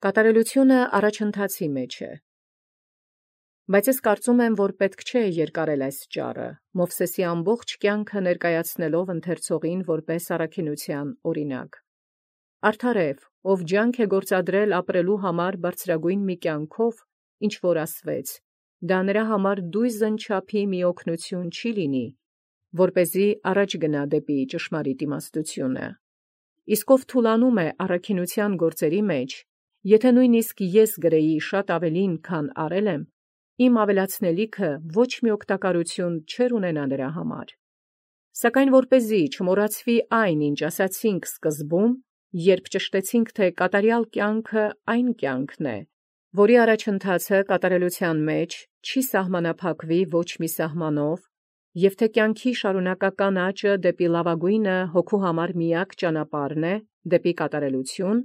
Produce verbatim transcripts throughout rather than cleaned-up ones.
Կատարելութիւնը առաջընթացի մեջ է։ Բայց ես կարծում եմ, որ պետք չէ երկարել այս ճառը, Մովսէսի ամբողջ կյանքը ներկայացնելով ընթերցողին որպես առաքինութեան օրինակ։ Արդար է, ով ջանք է գործադրել ապրելու համար բարձրագույն մի կյանքով, ինչ որ ասվեց, դա նրա համար դույզն չափի մի օգնություն չի լինի, որպեսզի առաջ գնա դեպի ճշմարիտ իմաստությունը։ Իսկ ով թուլանում է առաքինութեան գործերի մեջ, եթե նույնիսկ ես գրեի շատ ավելին, քան արել եմ, իմ ավելացնելիքը ոչ մի օգտակարություն չէր ունենա նրա համար։ Սակայն որպեսզի չմոռացվի այն, ինչ ասացինք սկզբում, երբ ճշտեցինք, թե կատարյալ կյանքը այն կյանքն է, որի առաջընթացը կատարելութեան մեջ չի սահմանափակվի ոչ մի սահմանով, և թե կյանքի շարունակական աճը դեպի լավագույնը հոգու համար միակ ճանապարհն է, դեպի կատարելութիւն,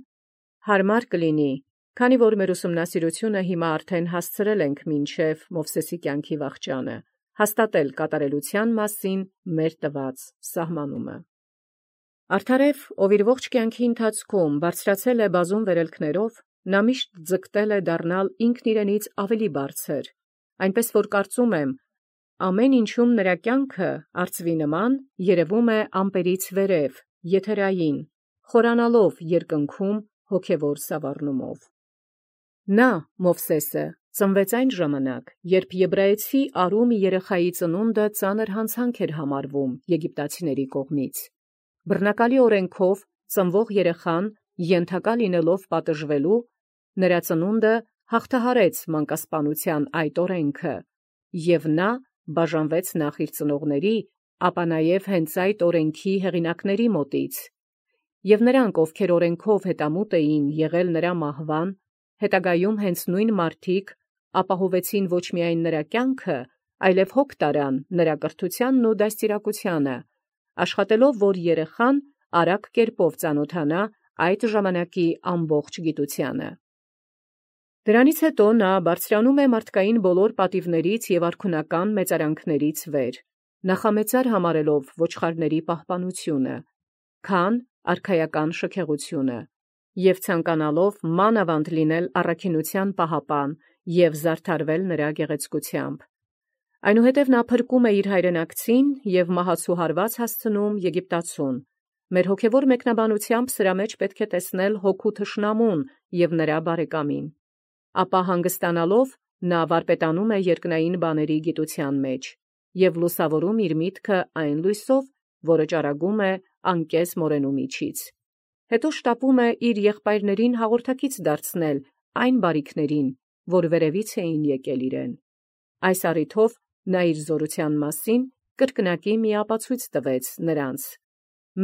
հարմար կլինի, քանի որ մեր ուսումնասիրությունը հիմա արդեն հասցրել ենք մինչև Մովսէսի կյանքի վախճանը, հաստատել կատարելութեան մասին մեր տված սահմանումը։ Արդարև, ով իր ողջ կյանքի ընթացքում բարձրացել է բազում վերելքներով, նա միշտ ձգտել է դառնալ ինքն իրենից ավելի բարձր, այնպես որ կարծում եմ, ամեն ինչում նրա կյանքը արծվի նման երևում է ամպերից վերև, եթերային, խորանալով երկնքում հոգևոր սավառնումով։ Նա, Մովսէսը, ծնվեց այն ժամանակ, երբ եբրայեցի արու մի երեխայի ծնունդը ծանր յանցանք էր համարվում եգիպտացիների կողմից։ Բռնակալի օրենքով ծնվող երեխան ենթակա լինելով պատժվելու, նրա ծնունդը հաղթահարեց մանկասպանութեան այդ օրենքը, և նա բաժանվեց նախ իր ծնողների, ապա նաև հենց այդ օրենքի հեղինակների մոտից, և նրանք, ովքեր օրենքով հետամուտ էին եղել նրա մահվան, հետագայում հենց նույն մարդիկ ապահովեցին ոչ միայն նրա կյանքը, այլև հոգ տարան նրա կրթությանն ու դաստիարակությանը, աշխատելով, որ երեխան արագ կերպով ծանոթանա այդ ժամանակի ամբողջ գիտությանը։ Դրանից հետո նա բարձրանում է մարդկային բոլոր պատիվներից և արքունական մեծարանքներից վեր, նախամեծար համարելով ոչխարների պահպանությունը, քան արքայական շքեղությունը, և ցանկանալով մանավանդ լինել առաքինութեան պահապան և զարդարվել նրա գեղեցկությամբ։ Այնուհետև նա փրկում է իր հայրենակցին և մահացու հարված հասցնում Եգիպտացուն։ Մեր հոգևոր մեկնաբանությամբ սրա մեջ պետք է տեսնել հոգու թշնամուն և նրա բարեկամին։ Ապա հանգստանալով նա վարպետանում է երկնային բաների գիտության մեջ և լուսավորում իր միտքը այն լույսով, որը ճառագում է անկես մորենու միջից։ Հետո շտապում է իր եղբայրներին հաղորդակից դարձնել այն բարիքներին, որ վերևից էին եկել իրեն։ Այս առիթով նա իր զորութեան մասին կրկնակի մի ապացույց տվեց նրանց.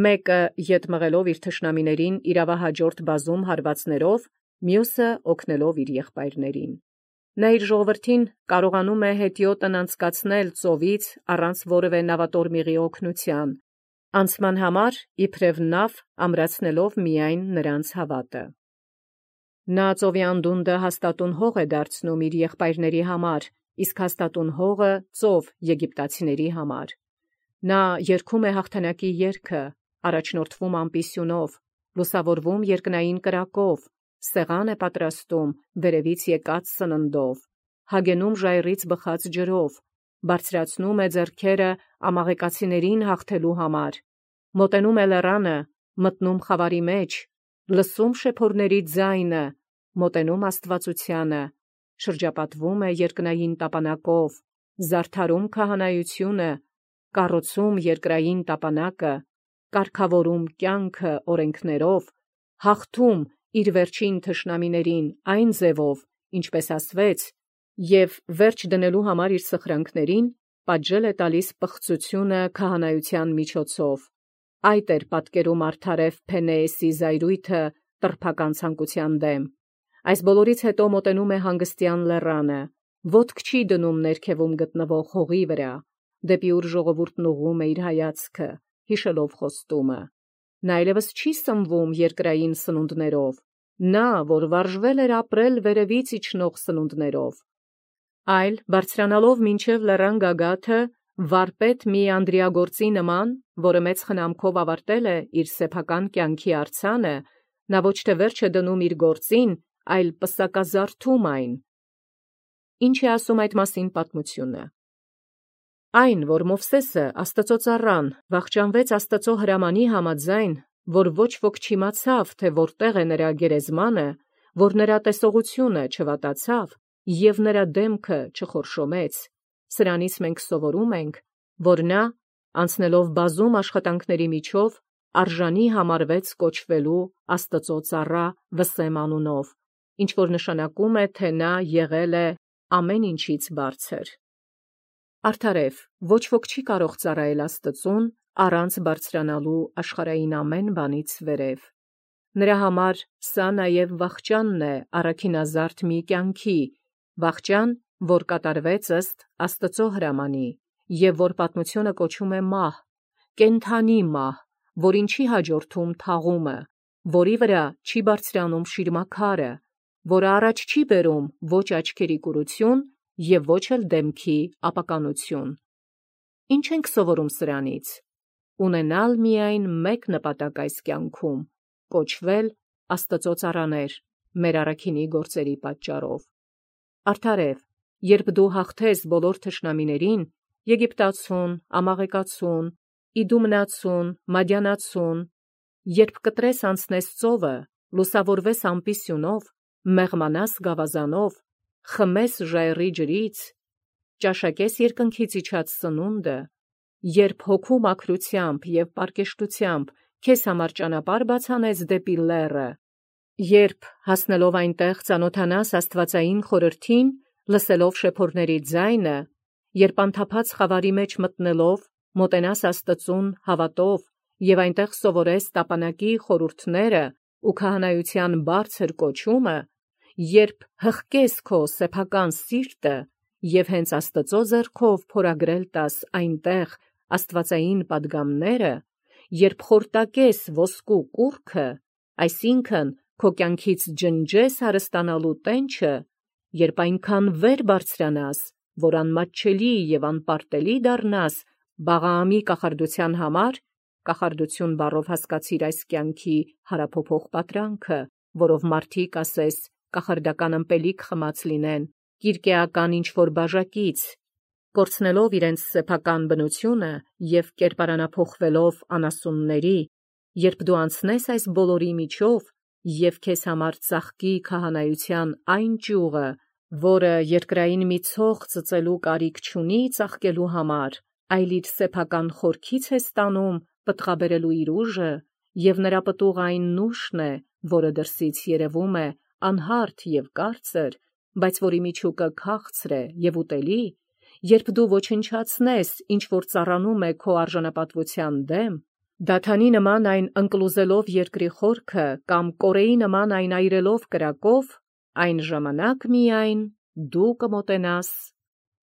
մեկը ետ մղելով իր թշնամիներին իրավահաջորդ բազում հարվածներով, մյուսը օգնելով իր եղբայրներին։ Նա իր ժողովրդին կարողանում է հետիոտն անցկացնել ծովից առանց որևէ նավատորմիղի օգնության, անցման համար իբրև նավ ամրացնելով միայն նրանց հավատը։ Նա ծովի անդունդը հաստատուն հող է դարձնում իր եղբայրների համար, իսկ հաստատուն հողը ծով եգիպտացիների համար։ Նա երգում է հաղթանակի երգը, առաջնորդվում ամպիսյունով, լուսավորվում երկնային կրակով, սեղան է պատրաստում վերևից եկած սննդով, հագենում ժայռից բխած ջրով, բարձրացնում է ձեռքերը ամաղեկացիներին հաղթելու համար, մոտենում է լեռանը, մտնում խավարի մեջ, լսում շեփորների ձայնը, մոտենում աստվածությանը, շրջապատվում է երկնային տապանակով, զարդարում քահանայությունը, կառուցում երկրային տապանակը, կարգավորում կյանքը օրենքներով, հաղթում իր վերջին թշնամիներին այն ձևով, ինչպես ասվեց, և վերջ դնելու համար իր սխրանքներին պատժել է տալիս պղծությունը քահանայության միջոցով։ Այդ էր պատկերում արդարև Փենեեսի զայրույթը տրփական ցանկության դեմ։ Այս բոլորից հետո մոտենում է հանգստյան լեռանը, ոտք չի դնում ներքևում գտնվող հողի վրա, դեպի ուր ժողովուրդն ուղղում է իր հայացքը, հիշելով խոստումը։ Նա այլևս չի սնվում երկրային սնունդներով, նա, որ վարժվել էր ապրել վերևից իջնող սնունդներով, այլ բարձրանալով մինչև լեռան գագաթը, վարպետ մի անդրիագործի նման, որը մեծ խնամքով ավարտել է իր սեփական կյանքի արձանը, նա ոչ թե վերջ է դնում իր գործին, այլ պսակազարդում այն։ Ինչ է ասում այդ մասին պատմությունը։ Այն, որ Մովսեսը Աստծո ծառան վախճանվեց Աստծո հրամանի համաձայն, որ ոչ ոք չիմացավ, թե որտեղ է նրա գերեզմանը, որ նրա տեսողությունը չվատացավ և նրա դեմքը չխորշոմեց, սրանից մենք սովորում ենք, որ նա, անցնելով բազում աշխատանքների միջով, արժանի համարվեց կոչվելու Աստծո ծառա Վսեմ անունով, ինչ որ նշանակում է, թե նա եղել է ամեն ինչից բարձր։ Արդարև, ոչ ոք չի կարող ծառայել Աստծուն առանց բարձրանալու աշխարհային ամեն բանից վերև։ Նրա համար սա նաև վախճանն է առաքինազարդ մի կյանքի, վախճան, որ կատարվեց ըստ Աստծո հրամանի, և որ պատմությունը կոչում է մահ, կենդանի մահ, որին չի հաջորդում թաղումը, որի վրա չի բարձրանում շիրմաքարը, որը առաջ չի բերում ոչ աչքերի կուրություն և ոչ էլ դեմքի ապականություն։ Ինչ ենք սովորում սրանից։ Ունենալ միայն մեկ նպատակ այս կյանքում՝ կոչվել Աստծո ծառաներ մեր առաքինի գործերի պատճառով։ Արդարև, երբ դու հաղթես բոլոր թշնամիներին՝ Եգիպտացուն, Ամաղեկացուն, Իդումնացուն, Մադյանացուն, երբ կտրես անցնես ծովը, լուսավորվես ամպի սյունով, մեղմանաս գավազանով, խմես ժայռի ջրից, ճաշակես երկնքից իջած սնունդը, երբ հոգու մաքրությամբ և պարկեշտությամբ քեզ համար ճանապարհ բացանես դեպի լեռը, երբ հասնելով այնտեղ ծանոթանաս աստվածային խորհրդին, լսելով շեփորների ձայնը, երբ անթափած խավարի մեջ մտնելով մոտենաս Աստծուն հավատով և այնտեղ սովորես տապանակի խորհուրդները ու քահանայության բարձր կոչումը, երբ հղկես քո սեփական սիրտը և հենց Աստծո ձեռքով փորագրել տաս այնտեղ աստվածային պատգամները, երբ խորտակես ոսկու կուռքը, այսինքն քո կյանքից ջնջես հարստանալու տենչը, երբ այնքան վեր բարձրանաս, որ անմատչելի և անպարտելի դառնաս Բաղաամի կախարդության համար, կախարդություն բառով հասկացիր այս կյանքի հարափոփող պատրանքը, որով մարդիկ, ասես, կախարդական ըմպելիք խմած լինեն, կիրկեական ինչ-որ բաժակից, կորցնելով իրենց սեփական բնությունը և կերպարանափոխվելով անասունների, երբ դու անցնես այս բոլորի միջով և քեզ համար ծաղկի քահանայության այն ճյուղը, որը երկրային մի ցող ծծելու կարիք չունի ծաղկելու համար, այլ իր սեփական խորքից է ստանում պտղաբերելու իր ուժը, և նրա պտուղը այն նուշն է, որը դրսից երևում է անհարթ և կարծր, բայց որի միջուկը քաղցր է և ուտելի, երբ դու ոչնչացնես, ինչ որ ծառանում է քո արժանապատվության դեմ, դաթանի նման այն ընկլուզելով երկրի խորքը կամ կորեի նման այն այրելով կրակով, այն ժամանակ միայն դու կմոտենաս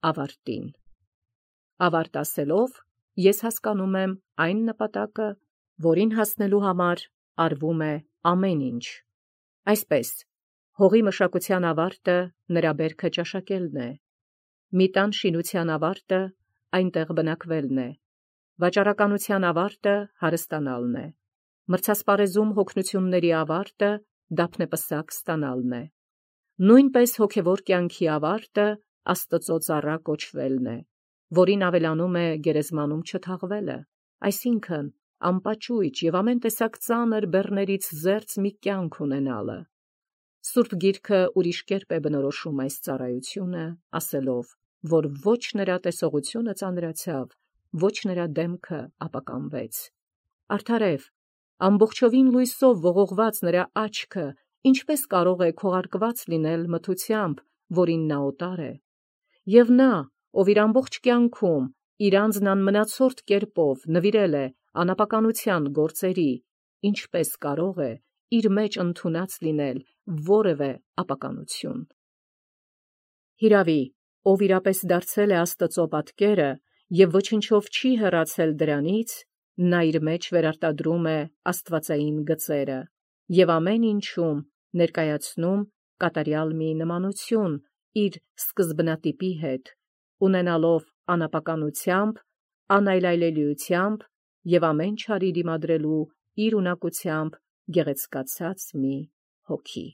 ավարտին։ Ավարտ ասելով, ես հասկանում եմ այն նպատակը, որին հասնելու համար արվում է ամեն ինչ։ Այսպես, հողի մշակության ավարտը նրա բերքը ճաշակելն է, մի տան շինության ավարտը այնտեղ բնակվելն է, վաճառականության ավարտը հարստանալն է, մրցասպարեզում հոգնությունների ավարտը դափնեպսակ ստանալն է, նույնպես հոգևոր կյանքի ավարտը Աստծո ծառա կոչվելն է, որին ավելանում է գերեզմանում չթաղվելը, այսինքն անպաճույճ և ամեն տեսակ ծանր բեռներից զերծ մի կյանք ունենալը։ Սուրբ Գիրքը ուրիշ կերպ է բնորոշում այս ծառայությունը, ասելով, որ ոչ նրա տեսողությունը ծանրացավ, ոչ նրա դեմքը ապականվեց։ Արդարև, ամբողջովին լույսով ողողված նրա աչքը ինչպես կարող է քողարկված լինել մթությամբ, որին նա օտար է։ Եվ նա, ով իր ամբողջ կյանքում իր անձն անմնացորդ կերպով նվիրել է անապականության գործերի, ինչպես կարող է իր մեջ ընդունած լինել որևէ ապականություն։ Հիրավի, ով իրապես դարձել է Աստծո պատկերը և ոչնչով չի հեռացել դրանից, նա իր մեջ վերարտադրում է աստվածային գծերը և ամեն ինչում ներկայացնում կատարյալ մի նմանություն իր սկզբնատիպի հետ, ունենալով անապականությամբ, անայլայլելիությամբ և ամեն չարի դիմադրելու իր ունակությամբ գեղեցկացած մի հոգի։